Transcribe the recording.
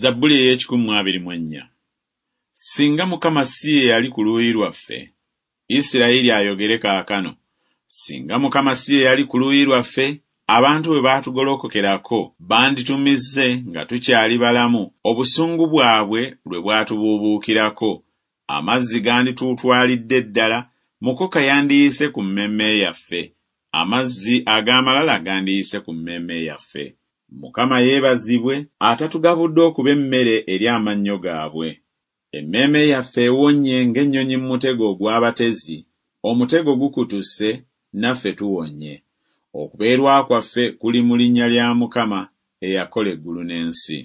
Zabbuli ey'ekikumi mu 24. Singa Mukama si ye yali ku luuyi lwaffe, Isirayiri ayogere kaakano, singa Mukama si ye yali ku luuyi lwaffe, abantu bwe baatugolokokerako banditumize nga tukyali balamu, obusungu bwabwe lwe bwatubuubuukirako, amazzi gandituutwalidde ddala, mukoka yandiyise ku mmeeme yaffe, amazzi ag'amalala gandiyise ku mmeeme yaffe. Mukama yeebazibwe atatugabudde okuba emmere eri amannyo gaabwe. Emmeeme yaffe ewonye ng'ennyonyi mu mutego ogw'abatezi, omutego gukutuse, naffe tuwonye. Okubeerwa kwaffe kuli mu linnya lya Mukama eyakola eggulu n'ensi.